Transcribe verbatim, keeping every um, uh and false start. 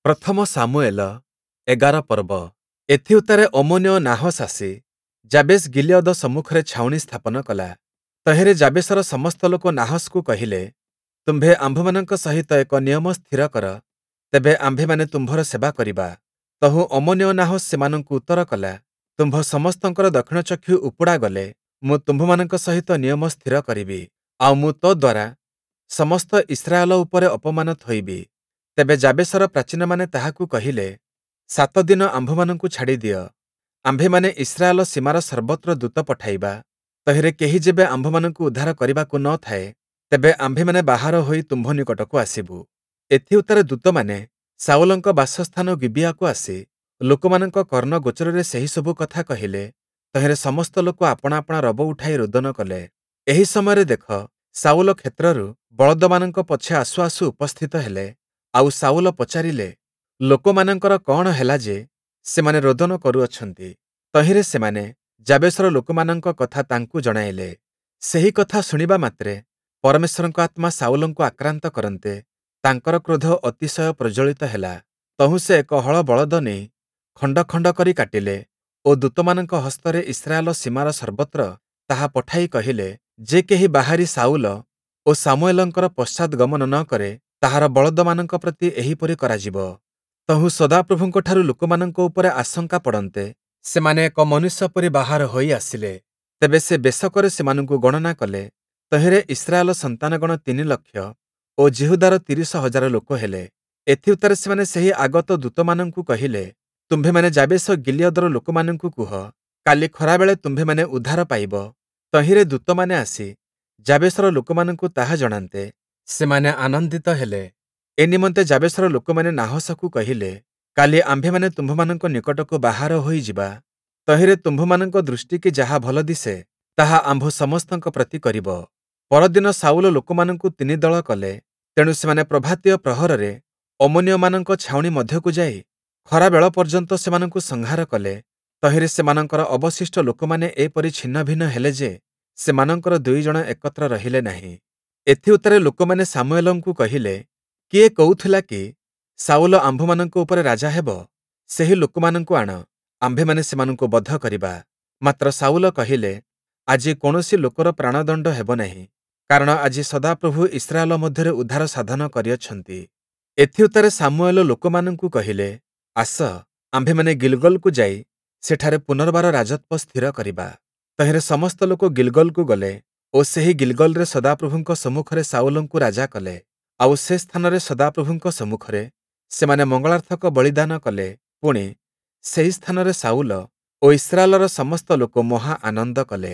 ପ୍ରଥମ ଶାମୁୟେଲ ଏଗାର ପର୍ବ। ଏଥିଉତ୍ତାରେ ଅମ୍ମୋନୀୟ ନାହଶ୍ ଆସି ଯାବେଶ୍ ଗିଲିୟଦ ସମ୍ମୁଖରେ ଛାଉଣି ସ୍ଥାପନ କଲା। ତହିଁରେ ଯାବେଶର ସମସ୍ତ ଲୋକ ନାହଶ୍‌କୁ କହିଲେ, ତୁମ୍ଭେ ଆମ୍ଭମାନଙ୍କ ସହିତ ଏକ ନିୟମ ସ୍ଥିର କର, ତେବେ ଆମ୍ଭେମାନେ ତୁମ୍ଭର ସେବା କରିବା। ତହୁଁ ଅମ୍ମୋନୀୟ ନାହଶ୍ ସେମାନଙ୍କୁ ଉତ୍ତର କଲା, ତୁମ୍ଭ ସମସ୍ତଙ୍କର ଦକ୍ଷିଣ ଚକ୍ଷୁ ଉପୁଡ଼ା ଗଲେ ମୁଁ ତୁମ୍ଭମାନଙ୍କ ସହିତ ନିୟମ ସ୍ଥିର କରିବି, ଆଉ ମୁଁ ତଦ୍ଦ୍ୱାରା ସମସ୍ତ ଇସ୍ରାଏଲ ଉପରେ ଅପମାନ ଥୋଇବି। ତେବେ ଯାବେଶର ପ୍ରାଚୀନମାନେ ତାହାକୁ କହିଲେ, ସାତ ଦିନ ଆମ୍ଭମାନଙ୍କୁ ଛାଡ଼ିଦିଅ, ଆମ୍ଭେମାନେ ଇସ୍ରାଏଲ ସୀମାର ସର୍ବତ୍ର ଦୂତ ପଠାଇବା। ତହିଁରେ କେହି ଯେବେ ଆମ୍ଭମାନଙ୍କୁ ଉଦ୍ଧାର କରିବାକୁ ନ ଥାଏ, ତେବେ ଆମ୍ଭେମାନେ ବାହାର ହୋଇ ତୁମ୍ଭ ନିକଟକୁ ଆସିବୁ। ଏଥିଉତ୍ତାରେ ଦୂତମାନେ ଶାଉଲଙ୍କ ବାସସ୍ଥାନ ଗିବିୟାକୁ ଆସି ଲୋକମାନଙ୍କ କର୍ଣ୍ଣଗୋଚରରେ ସେହିସବୁ କଥା କହିଲେ। ତହିଁରେ ସମସ୍ତ ଲୋକ ଆପଣା ଆପଣା ରବ ଉଠାଇ ରୋଦନ କଲେ। ଏହି ସମୟରେ ଦେଖ, ଶାଉଲ କ୍ଷେତ୍ରରୁ ବଳଦମାନଙ୍କ ପଛେ ଆସୁ ଆସୁ ଉପସ୍ଥିତ ହେଲେ। ଆଉ ଶାଉଲ ପଚାରିଲେ, ଲୋକମାନଙ୍କର କଅଣ ହେଲା ଯେ ସେମାନେ ରୋଦନ କରୁଅଛନ୍ତି? ତହିଁରେ ସେମାନେ ଯାବେଶର ଲୋକମାନଙ୍କ କଥା ତାଙ୍କୁ ଜଣାଇଲେ। ସେହି କଥା ଶୁଣିବା ମାତ୍ରେ ପରମେଶ୍ୱରଙ୍କ ଆତ୍ମା ଶାଉଲଙ୍କୁ ଆକ୍ରାନ୍ତ କରନ୍ତେ, ତାଙ୍କର କ୍ରୋଧ ଅତିଶୟ ପ୍ରଜ୍ୱଳିତ ହେଲା। ତହୁଁ ସେ ଏକ ହଳ ବଳଦ ନେଇ ଖଣ୍ଡ ଖଣ୍ଡ କରି କାଟିଲେ ଓ ଦୂତମାନଙ୍କ ହସ୍ତରେ ଇସ୍ରାଏଲ ସୀମାର ସର୍ବତ୍ର ତାହା ପଠାଇ କହିଲେ, ଯେ କେହି ବାହାରି ଶାଉଲ ଓ ଶାମୁୟେଲଙ୍କର ପଶ୍ଚାଦ୍‌ଗମନ ନ କରେ, ତାହାର ବଳଦମାନଙ୍କ ପ୍ରତି ଏହିପରି କରାଯିବ। ତହୁଁ ସଦାପ୍ରଭୁଙ୍କଠାରୁ ଲୋକମାନଙ୍କ ଉପରେ ଆଶଙ୍କା ପଡ଼ନ୍ତେ, ସେମାନେ ଏକ ମନୁଷ୍ୟ ପରି ବାହାର ହୋଇ ଆସିଲେ। ତେବେ ସେ ବେଶକରେ ସେମାନଙ୍କୁ ଗଣନା କଲେ। ତହିଁରେ ଇସ୍ରାଏଲ ସନ୍ତାନଗଣ ତିନି ଲକ୍ଷ ଓ ଯିହୁଦାର ତିରିଶ ହଜାର ଲୋକ ହେଲେ। ଏଥିଉତ୍ତାରେ ସେମାନେ ସେହି ଆଗତ ଦୂତମାନଙ୍କୁ କହିଲେ, ତୁମ୍ଭେମାନେ ଯାବେଶ ଗିଲିୟଦର ଲୋକମାନଙ୍କୁ କୁହ, କାଲି ଖରାବେଳେ ତୁମ୍ଭେମାନେ ଉଦ୍ଧାର ପାଇବ। ତହିଁରେ ଦୂତମାନେ ଆସି ଯାବେଶର ଲୋକମାନଙ୍କୁ ତାହା ଜଣାନ୍ତେ, ସେମାନେ ଆନନ୍ଦିତ ହେଲେ। ଏ ନିମନ୍ତେ ଯାବେଶର ଲୋକମାନେ ନାହଶକୁ କହିଲେ, କାଲି ଆମ୍ଭେମାନେ ତୁମ୍ଭମାନଙ୍କ ନିକଟକୁ ବାହାର ହୋଇଯିବା। ତହିଁରେ ତୁମ୍ଭମାନଙ୍କ ଦୃଷ୍ଟିକି ଯାହା ଭଲ ଦିଶେ, ତାହା ଆମ୍ଭ ସମସ୍ତଙ୍କ ପ୍ରତି କରିବ। ପରଦିନ ଶାଉଲ ଲୋକମାନଙ୍କୁ ତିନି ଦଳ କଲେ। ତେଣୁ ସେମାନେ ପ୍ରଭାତୀୟ ପ୍ରହରରେ ଅମ୍ମୋନୀୟମାନଙ୍କ ଛାଉଣି ମଧ୍ୟକୁ ଯାଇ ଖରାବେଳ ପର୍ଯ୍ୟନ୍ତ ସେମାନଙ୍କୁ ସଂହାର କଲେ। ତହିଁରେ ସେମାନଙ୍କର ଅବଶିଷ୍ଟ ଲୋକମାନେ ଏପରି ଛିନ୍ନଭିନ୍ନ ହେଲେ ଯେ, ସେମାନଙ୍କର ଦୁଇ ଜଣ ଏକତ୍ର ରହିଲେ ନାହିଁ। ଏଥିଉତ୍ତାରେ ଲୋକମାନେ ଶାମୁୟେଲଙ୍କୁ କହିଲେ, କିଏ କହୁଥିଲା କି, ଶାଉଲ ଆମ୍ଭମାନଙ୍କ ଉପରେ ରାଜା ହେବ? ସେହି ଲୋକମାନଙ୍କୁ ଆଣ, ଆମ୍ଭେମାନେ ସେମାନଙ୍କୁ ବଧ କରିବା। ମାତ୍ର ଶାଉଲ କହିଲେ, ଆଜି କୌଣସି ଲୋକର ପ୍ରାଣଦଣ୍ଡ ହେବ ନାହିଁ, କାରଣ ଆଜି ସଦାପ୍ରଭୁ ଇସ୍ରାଏଲ ମଧ୍ୟରେ ଉଦ୍ଧାର ସାଧନ କରିଅଛନ୍ତି। ଏଥିଉତ୍ତାରେ ଶାମୁୟେଲ ଲୋକମାନଙ୍କୁ କହିଲେ, ଆସ, ଆମ୍ଭେମାନେ ଗିଲ୍ଗଲକୁ ଯାଇ ସେଠାରେ ପୁନର୍ବାର ରାଜତ୍ୱ ସ୍ଥିର କରିବା। ତହିଁରେ ସମସ୍ତ ଲୋକ ଗିଲ୍ଗଲକୁ ଗଲେ ଓ ସେହି ଗିଲ୍ଗଲରେ ସଦାପ୍ରଭୁଙ୍କ ସମ୍ମୁଖରେ ଶାଉଲଙ୍କୁ ରାଜା କଲେ। ଆଉ ସେ ସ୍ଥାନରେ ସଦାପ୍ରଭୁଙ୍କ ସମ୍ମୁଖରେ ସେମାନେ ମଙ୍ଗଳାର୍ଥକ ବଳିଦାନ କଲେ। ପୁଣି, ସେହି ସ୍ଥାନରେ ଶାଉଲ ଓ ଇସ୍ରାଏଲର ସମସ୍ତ ଲୋକ ମହା ଆନନ୍ଦ କଲେ।